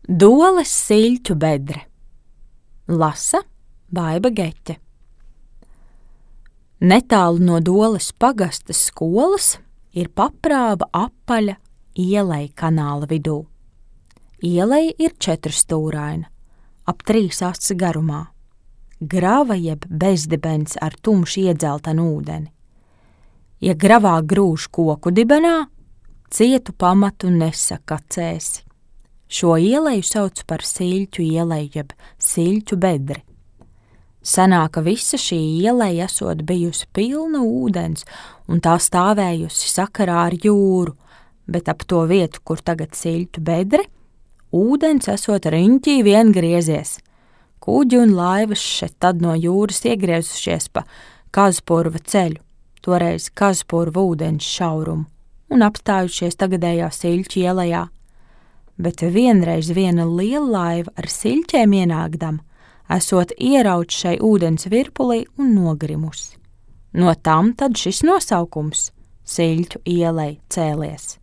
Doles Siļķu bedre. Lasa Baiba Geķe. Netālu no Doles pagasta skolas ir paprāva apaļa ielej kanāla vidū. Ielej ir 4-stūraina, ap 3 aci garumā. Grava jeb bezdibens ar tumši iedzeltanu ūdeni. Ja gravā grūž koku dibenā, cietu pamatu nesakacēsi. Šo ieleju sauc par Siļķu ieleju jeb Siļķu bedri. Senāka visa šī ieleja esot bijusi pilna ūdens un tā stāvējusi sakarā ar jūru, bet ap to vietu, kur tagad Siļķu bedre, ūdens esot riņķī vien griezies. Kuģi un laivas šeit tad no jūras iegriezušies pa Kazpurva ceļu, toreiz Kazpurva ūdens šaurumu, un apstājušies tagadējā Siļķu ielejā. Bet vienreiz viena liela laiva ar siļķēm ienākdama, esot ierauts šai ūdens virpulī un nogrimusi. No tam tad šis nosaukums Siļķu ielej cēlies.